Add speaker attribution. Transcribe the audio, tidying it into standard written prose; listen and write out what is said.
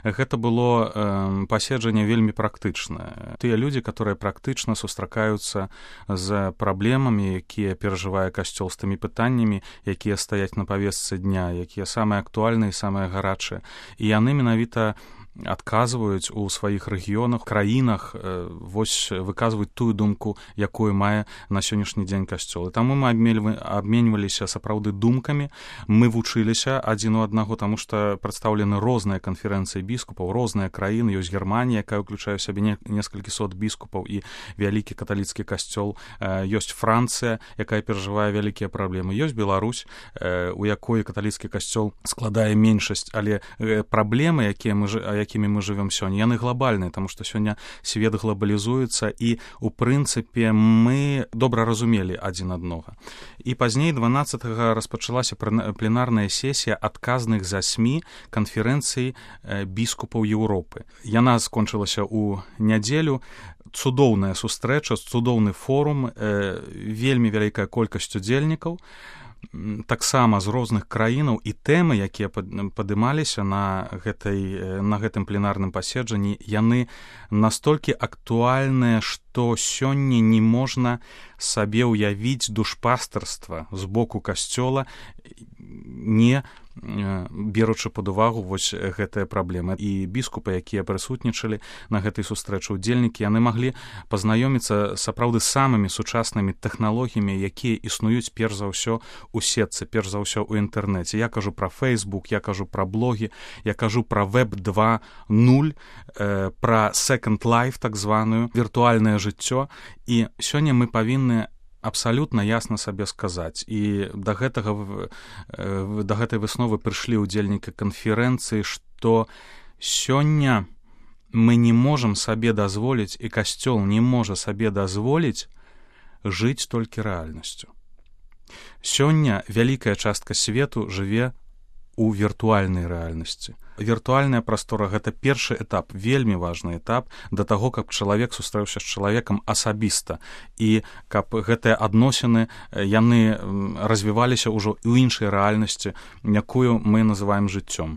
Speaker 1: Гэта было паседжанне вельмі практычнае. Тыя людзі, которые практычна сустракаюцца з праблемамі, якія перажывае касцёл, з тымі пытаннямі, якія стаяць на павестцы дня, якія самыя актуальныя і самыя гарачыя. І яны менавіта адказваюць у сваіх рэгіёнах, краінах, вось выказваюць тую думку, якую мае на сённяшні дзень касцёл. І таму мы абменьваліся сапраўды думкамі, мы вучыліся адзін у аднаго, таму што прадстаўлены розныя канферэнцыі біскупаў, розныя краіны, ёсць Германія, якая ўключае ў сябе некалькі сот біскупаў і вялікі каталіцкі касцёл, ёсць Францыя, якая перажывае вялікія праблемы, ёсць Беларусь, у якой каталіцкі касцёл складае меншасць, але праблемы, якімі мы жывём сёння, яны глобальныя, таму што сёння свет глобалізуецца, і у прынцыпе мы добра разумелі адзін аднога. І пазней 12-го распачалася пленарная сесія адказных за СМІ канферэнцыі біскупаў Еўропы. Яна скончылася ў нядзелю. Цудоўная сустрэча, цудоўны форум, вельмі вялікая колькасць удзельнікаў, таксама з розных краінаў, і тэмы, якія падымаліся на гэтым пленарным паседжанні, яны настолькі актуальныя, што сёння не можна сабе ўявіць душпастарства з боку касцёла, не беручы пад увагу вось гэтыя праблемы. І біскупы, якія прысутнічалі на гэтай сустрэчы, удзельнікі, яны маглі пазнаёміцца сапраўды самымі сучаснымі тэхналогіямі, якія існуюць перш за ўсё у сетцы, перш за ўсё ў інтэрнэце. Я кажу пра Facebook, я кажу пра блогі, я кажу пра Web 2.0, пра Second Life, так званую, віртуальнае жыццё. І сёння мы павінны абсалютна ясна сабе сказаць. І да гэтай высновы прыйшлі ўдзельнікі канферэнцыі, што сёння мы не можам сабе дазволіць, і касцёл не можа сабе дазволіць жыць толькі рэальнасцю. Сёння вялікая частка свету жыве у віртуальнай рэальнасці. Віртуальная прастора — гэта першы этап, вельмі важны этап да таго, каб чалавек сустрэўся з чалавекам асабіста, і каб гэтыя адносіны яны развіваліся ўжо ў іншай рэальнасці, якую мы называем жыццём.